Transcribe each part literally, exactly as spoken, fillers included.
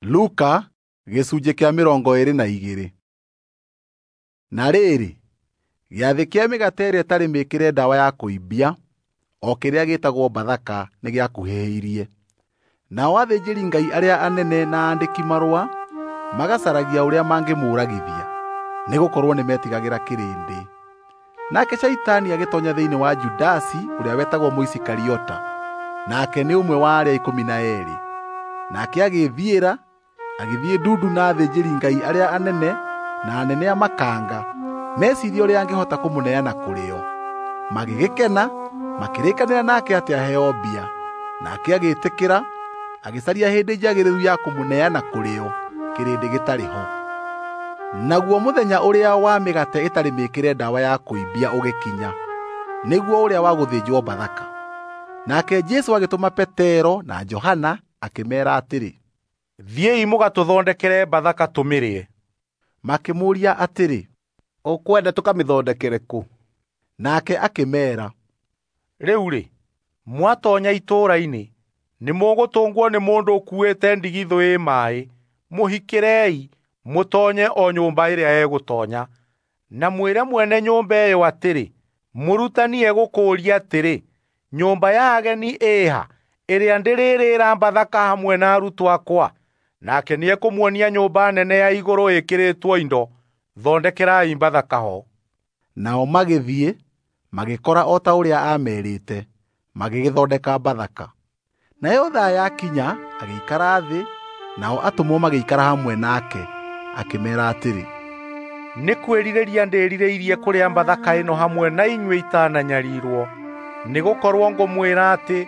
Luka gĩcunjĩ kĩa mĩrongo ĩĩrĩ na igĩrĩ. Na rĩrĩ, gĩathĩ kĩa mĩgate ĩrĩa ĩtarĩ mĩĩkĩre ndawa ya kũimbia, o kĩrĩa gĩĩtagwo Bathaka, nĩgĩakuhĩrĩirie. Nao athĩnjĩri-Ngai arĩa anene na aandĩki-marũa magacaragia ũrĩa mangĩmũũragithia, nĩgũkorwo nĩmetigagĩra kĩrĩndĩ. Nake Shaitani agĩtoonya thĩinĩ wa Judasi ũrĩa wetagwo Mũisikariota, nake nĩ ũmwe wa arĩa ikũmi na eerĩ. Nake agĩĩthiĩra, agĩthiĩ ndundu na athĩnjĩri-Ngai arĩa anene na anene a makanga, meciirie ũrĩa angĩhota kũmũneana kũrĩ o. Magĩgĩkena, makĩrĩkanĩra nake atĩ aheo mbia. Nake agĩĩtĩkĩra, agĩcaria hĩndĩ njagĩrĩru ya kũmũneana kũrĩ o, kĩrĩndĩ gĩtarĩ ho. Naguo mũthenya ũrĩa wa mĩgate ĩtarĩ mĩĩkĩre ndawa ya kũimbia ũgĩkinya, nĩguo ũrĩa wa gũthĩnjwo Bathaka. Nake Jesũ agĩtũma Petero na Johana akĩmeera atĩrĩ, "Thiĩi mũgatũthondekere Bathaka tũmĩrĩe." Makĩmũũria atĩrĩ, "Ũkwenda tũkamĩthondekere kũ?" Nake akĩmeera, "Rĩu-rĩ, mwatoonya itũũra-inĩ, nĩmũgũtũngwo nĩ mũndũ ũkuuĩte ndigithũ ĩ maaĩ. Mũhikĩrei, mũtoonye o nyũmba ĩrĩa egũtoonya. Na mwĩre mwene nyũmba ĩyo atĩrĩ, 'Mũrutani egũkũũria atĩrĩ, nyũmba ya ageni ĩĩha, ĩrĩa ndĩrĩrĩĩra Bathaka hamwe na arutwo akwa?' Nake nĩekũmuonia nyũmba nene ya igũrũ ĩkĩrĩtwo indo. Thondekerai Bathaka ho." Nao magĩthiĩ, magĩkora o ta ũrĩa aamerĩte, magĩgĩthondeka Bathaka. Nayo thaa yakinya, agĩikara thĩ, nao atũmwo magĩikara hamwe nake. Akĩmeera atĩrĩ, "Nĩ kwĩrirĩria ndĩrirĩirie kũrĩa Bathaka ĩno hamwe na inyuĩ itananyarirwo. Nĩgũkorwo ngũmwĩra atĩ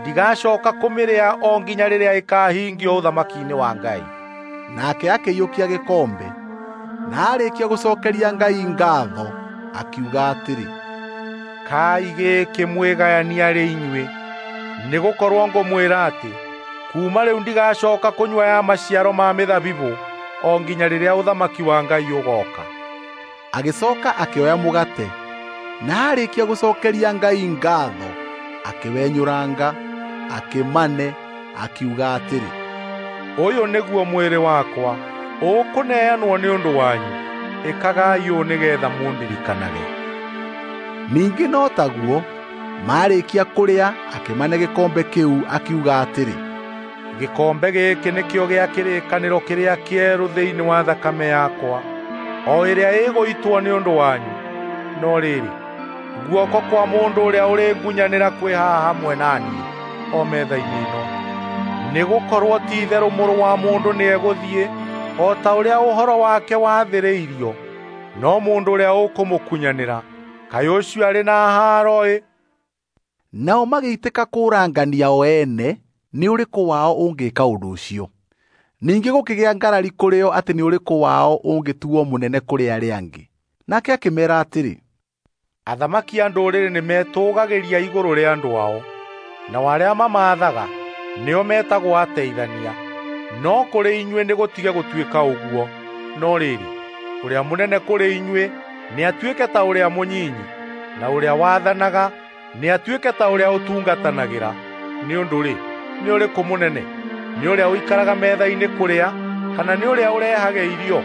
ndigacooka kũmĩrĩa o nginya rĩrĩa ĩkaahingio ũthamaki-inĩ wa Ngai." Nake akĩiyũkia gĩkombe, na aarĩkia gũcookeria Ngai ngaatho, akiuga atĩrĩ, "Kai gĩkĩ mwĩgayanie arĩ inyuĩ, nĩgũkorwo ngũmwĩra atĩ kuuma rĩu ndigacooka kũnyua ya maciaro ma mĩthabibũ o nginya rĩrĩa ũthamaki wa Ngai ũgooka." Agĩcooka akĩoya mũgate, na aarĩkia gũcookeria Ngai ngaatho, akĩwenyũranga, akĩmane, akiuga atĩrĩ, "Ũyũ nĩguo mwĩrĩ wakwa, ũkũneanwo nĩ ũndũ wanyu. Ĩkagai ũũ nĩgeetha mũndirikanage." Ningĩ no taguo, maarĩkia kũrĩa, akĩmane gĩkombe kĩu, akiuga atĩrĩ, "Gĩkombe gĩkĩ nĩkĩo gĩa kĩrĩkanĩro kĩrĩa kĩerũ thĩinĩ wa thakame yakwa, o ĩrĩa ĩgũitwo nĩ ũndũ wanyu. No rĩrĩ, guoko kwa mũndũ ũrĩa ũrĩngunyanĩra kwĩ haha hamwe na niĩ o metha-inĩ ĩno. Nĩgũkorwo ti-itherũ Mũrũ wa Mũndũ nĩegũthiĩ o ta ũrĩa ũhoro wake wathĩrĩirio, no mũndũ ũrĩa ũkũmũkunyanĩra, kaĩ ũcio arĩ na haaro-ĩ!" Nao magĩitĩka kũũrangania o ene nĩ ũrĩkũ wao ũngĩka ũndũ ũcio. Ningĩ gũkĩgĩa ngarari kũrĩ o atĩ nĩ ũrĩkũ wao ũngĩtuo mũnene kũrĩ arĩa angĩ. Nake akĩmeera atĩrĩ, "Athamaki a ndũrĩrĩ nĩmetũũgagĩria igũrũ rĩa andũ ao, nao arĩa mamaathaga nĩo metagwo ateithania. No kũrĩ inyuĩ nĩgũtige gũtuĩka ũguo. No rĩrĩ, ũrĩa mũnene kũrĩ inyuĩ nĩatuĩke ta ũrĩa mũnyinyi, na ũrĩa wathanaga nĩatuĩke ta ũrĩa ũtungatanagĩra. Nĩ ũndũ-rĩ, nĩ ũrĩkũ mũnene? Nĩ ũrĩa ũikaraga metha-inĩ kũrĩa, kana nĩ ũrĩa ũrehage irio?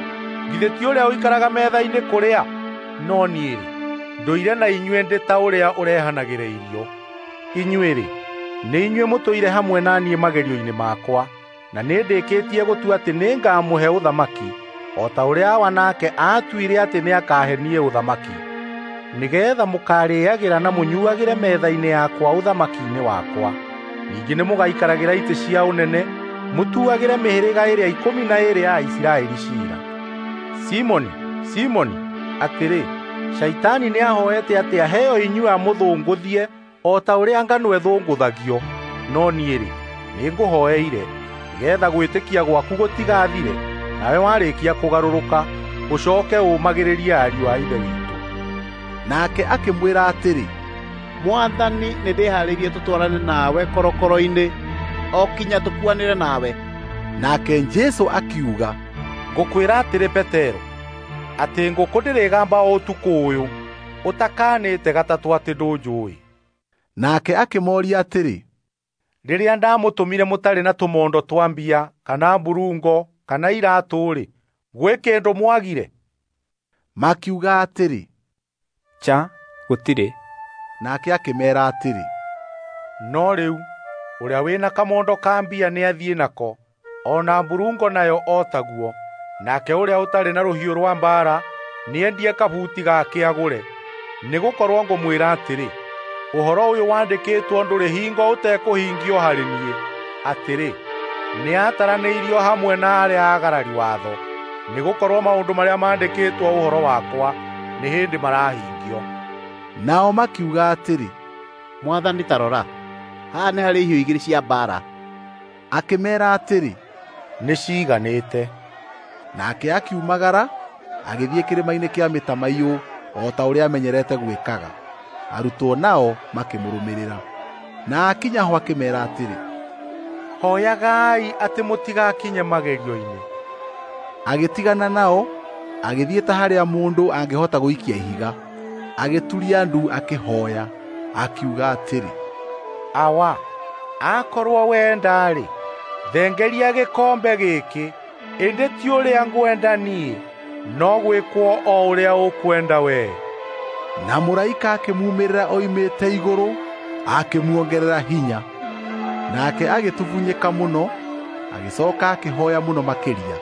Githĩ ti ũrĩa ũikaraga metha-inĩ kũrĩa? No niĩ-rĩ, ndũire na inyuĩ ndĩ ta ũrĩa ũrehanagĩra irio. Inyuĩ-rĩ, nĩ inyuĩ mũtũire hamwe na niĩ magerio-inĩ makwa, na nĩndĩkĩtie gũtua atĩ nĩngamũhe ũthamaki, o ta ũrĩa Awa nake aatuire atĩ nĩakahe niĩ ũthamaki, nĩgeetha mũkaarĩĩagĩra na mũnyuuagĩre metha-inĩ yakwa ũthamaki-inĩ wakwa. Ningĩ nĩmũgaikaragĩra itĩ cia ũnene, mũtuagĩre mĩhĩrĩga ĩrĩa ikũmi na ĩĩrĩ ya Isiraeli ciira. Simoni, Simoni, atĩrĩ, Shaitani nĩahooete atĩ aheo inyuĩ amũthũngũthie o ta ũrĩa ngano ĩthũngũthagio. No niĩ-rĩ, nĩngũhooeire, nĩgeetha gwĩtĩkia gwaku gũtigathire, nawe warĩkia kũgarũrũka, ũcooke ũũmagĩrĩrie ariũ a Ithe witũ." Nake akĩmwĩra atĩrĩ, "Mwathani, nĩndĩharĩirie tũtwarane nawe korokoro-inĩ o kinya tũkuanĩre nawe." Nake Jesũ akiuga, "Ngũkwĩra atĩrĩ Petero, atĩ ngũkũ ndĩrĩgamba o ũtukũ ũyũ, ũtakanĩte gatatũ atĩ ndũnjũũĩ." Nake akĩmooria atĩrĩ, Rĩrĩa ndamũtũmire mũtarĩ na tũmondo twa mbia kana mburungo kana iratũ-rĩ, gwĩ kĩndũ mwagire? Makiuga atĩrĩ, Cha, gũtirĩ. Nake akĩmeera atĩrĩ, No rĩu ũrĩa wĩna kamondo ka mbia nĩathiĩ nako, o na mburungo nayo o taguo. Nake ũrĩa ũtarĩ na rũhiũ rwa mbaara nĩendie kabuti gake agũre. Nĩgũkorwo ngũmwĩra atĩrĩ, ũhoro ũyũ wandĩkĩtwo ndũrĩ hingo ũtekũhingio harĩ niĩ, atĩrĩ, nĩataranĩirio hamwe na arĩa aagarari watho. Nĩgũkorwo maũndũ marĩa maandĩkĩtwo ũhoro wakwa nĩ hĩndĩ marahingio. Nao makiuga atĩrĩ, Mwathani, ta rora, haha nĩ harĩ ihiũ igĩrĩ cia mbaara. Akĩmeera atĩrĩ, Nĩciiganĩte. Nake akiumagara agĩthiĩ kĩrĩma-inĩ kĩa mĩtamaiyũ o ta ũrĩa amenyerete gwĩkaga. Arutwo nao makĩmũrũmĩrĩra. Na akinya ho akĩmeera atĩrĩ, Hoyagai atĩ mũtigakinye magerio-inĩ. Agĩtigana nao, agĩthiĩ ta harĩa mũndũ angĩhota gũikia ihiga. Agĩturia ndu akĩhoya, akiuga atĩrĩ, Awa, akorwo wenda-rĩ, thengeria gĩkombe gĩkĩ, ĩndĩ ti ũrĩa ngwenda niĩ, no gwĩkwo o ũrĩa ũkwenda wee. Na mũraika akĩmuumĩrĩra oimĩte igũrũ, akĩmuongerera hinya. Nake agĩtubunyĩka mũno, agĩcoka akĩhoya mũno makĩria.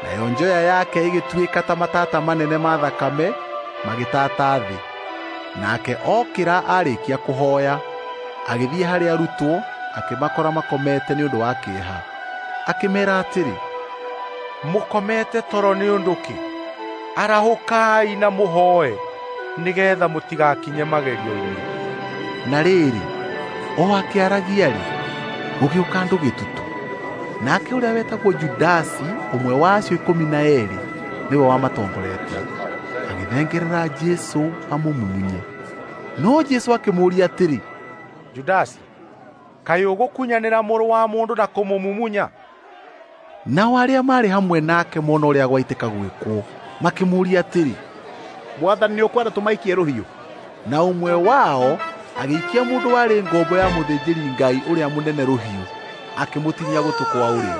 Nayo njoya yake ĩgĩtuĩka ta matata manene ma thakame magĩtata thĩ. Nake okĩra arĩkia kũhoya, agĩthiĩ harĩ arutwo, akĩmakora makomete nĩ ũndũ wa kĩeha. Akĩmeera atĩrĩ, Mũkomete toro nĩ ũndũ kĩ? Arahũkai na mũhoe, nĩgeetha mũtigakinye magerio-inĩ. Na rĩrĩ, o akĩaragia-rĩ, gũgĩũka andũ gĩtutu. Nake ũrĩa wetagwo Judasi, ũmwe wa acio ikũmi na eerĩ, nĩwe wamatongoretie, agĩthengerera Jesũ amũmumunye. No Jesũ akĩmũũria atĩrĩ, Judasi, kaĩ ũgũkunyanĩra mũrũ wa mũndũ na kũmũmumunya? Nao arĩa maarĩ hamwe nake mona ũrĩa gwaitĩka gwĩkwo, makĩmũũria atĩrĩ, Mwathani, nĩũkwenda tũmaikie rũhiũ? Na ũmwe wao agĩikia mũndũ warĩ ngombo ya mũthĩnjĩri-Ngai ũrĩa mũnene rũhiũ, akĩmũtinia gũtũ kwa ũrĩo.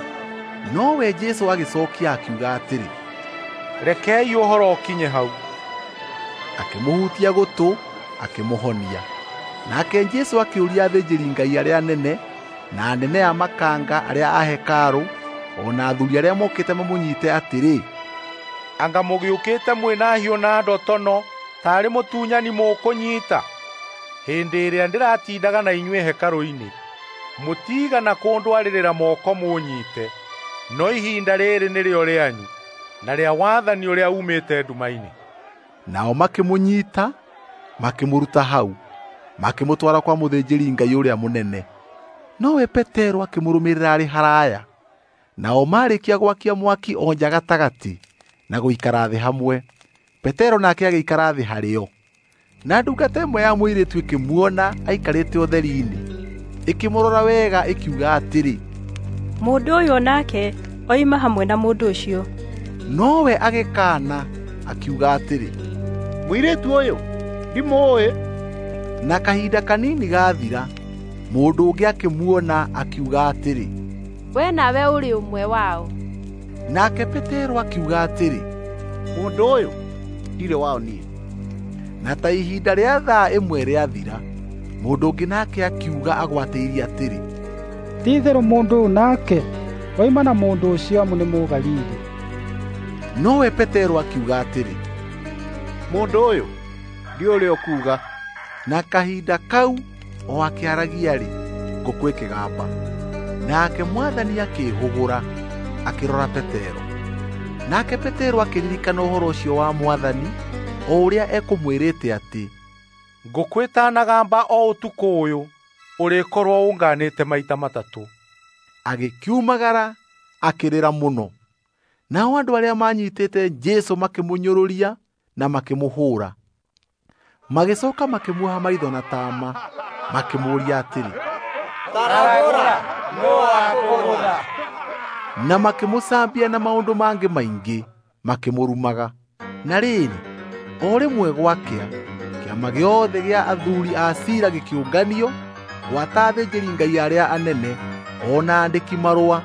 Nowe Jesũ agĩcookia akiuga atĩrĩ, Rekei ũhoro ũkinye hau. Akĩmũhutia gũtũ, akĩmũhonia. Nake Jesũ akĩũria athĩnjĩri-Ngai arĩa anene na anene a makanga arĩa a hekarũ o na athuri arĩa mokĩte mamũnyite atĩrĩ, Anga mũgĩũkĩte mwĩna hiũ na ndotono taarĩ mũtunyani mũkũnyiita? Hĩndĩ ĩrĩa ndĩratindaga na inyuĩ hekarũ-inĩ, mũtiigana kũndwarĩrĩra moko mũnyiite, no ihinda rĩrĩ nĩrĩo rĩanyu na rĩa wathani ũrĩa uumĩte nduma-inĩ. Nao makĩmũnyiita, makĩmũruta hau, makĩmũtwara kwa mũthĩnjĩri-Ngai ũrĩa mũnene. Nowe Petero akĩmũrũmĩrĩra arĩ haraya. Nao marĩkia gwakia mwaki o nja gatagatĩ na gũikara thĩ hamwe, Petero nake agĩikara thĩ harĩo. Na ndungata ĩmwe ya mũirĩtu ĩkĩmuona aikarĩte ũtheri-inĩ, ĩkĩmũrora wega ĩkiuga atĩrĩ, Mũndũ ũyũ nake oima hamwe na mũndũ ũcio. Nowe agĩkaana akiuga atĩrĩ, Mũirĩtu ũyũ ndimũũĩ. Na kahinda kanini gathira, mũndũ ũngĩ akĩmuona akiuga atĩrĩ, We nawe ũrĩ ũmwe wao. Nake Petero akiuga atĩrĩ, Mũndũ ũyũ ndirĩ wao niĩ. Na ta ihinda rĩa thaa ĩmwe rĩathira, mũndũ ũngĩ nake akiuga agwatĩirie atĩrĩ, Ti-itherũ mũndũ ũyũ nake oima na mũndũ ũcio amu nĩ Mũgalili. Nowe Petero akiuga atĩrĩ, Mũndũ ũyũ ndiũĩ ũrĩa ũkuuga. Na kahinda kau o akĩaragia-rĩ, ngũkũ ĩkĩgamba. Nake Mwathani akĩĩhũgũra, akĩrora Petero. Nake Petero akĩririkana ũhoro ũcio wa Mwathani, o ũrĩa ekũmwĩrĩte atĩ, Ngũkũ ĩtanagamba o ũtukũ ũyũ, ũrĩkorwo ũnganĩte maita matatũ. Agĩkiumagara, akĩrĩra mũno. Nao andũ arĩa maanyitĩte Jesũ makĩmũnyũrũria na makĩmũhũũra. Magĩcooka makĩmuoha maitho na taama, makĩmũũria atĩrĩ, Taragũra, nũũ wakũgũtha? Na makĩmũcambia na maũndũ mangĩ maingĩ, makĩmũrumaga. Na rĩrĩ, o rĩmwe gwakĩa, kĩama gĩothe gĩa athuuri a ciira gĩkĩũnganio, gwata athĩnjĩri-Ngai arĩa anene o na andĩki marũa.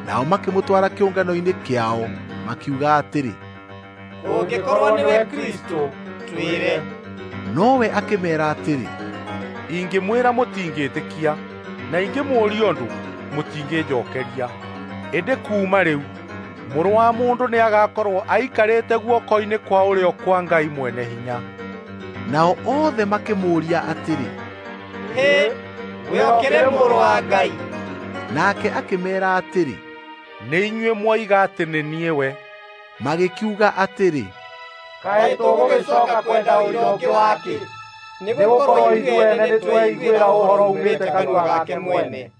Nao makĩmũtwara kĩũngano-inĩ kĩao, makiuga atĩrĩ, "Ũngĩkorwo nĩwe Kristũ, twĩre." Nowe akĩmeera atĩrĩ, "Ingĩmwĩra mũtingĩtĩkia, na ingĩmũũria ũndũ mũtingĩnjookeria. Ĩndĩ kuuma rĩu Mũrũ wa Mũndũ nĩagakorwo aikarĩte guoko-inĩ kwa ũrĩo kwa Ngai Mwene-Hinya." Nao othe makĩmũũria atĩrĩ, "Hĩ, we ũkĩrĩ Mũrũ wa Ngai?" Nake akĩmeera atĩrĩ, "Nĩ inyuĩ mwoiga atĩ nĩ niĩ we." Magĩkiuga atĩrĩ, "Kaĩ tũgũgĩcooka kwenda ũira ũngĩ wakĩ? Nĩgũkorwo ithuĩ ene nĩtweiguĩra ũhoro uumĩte kanua gake mwene."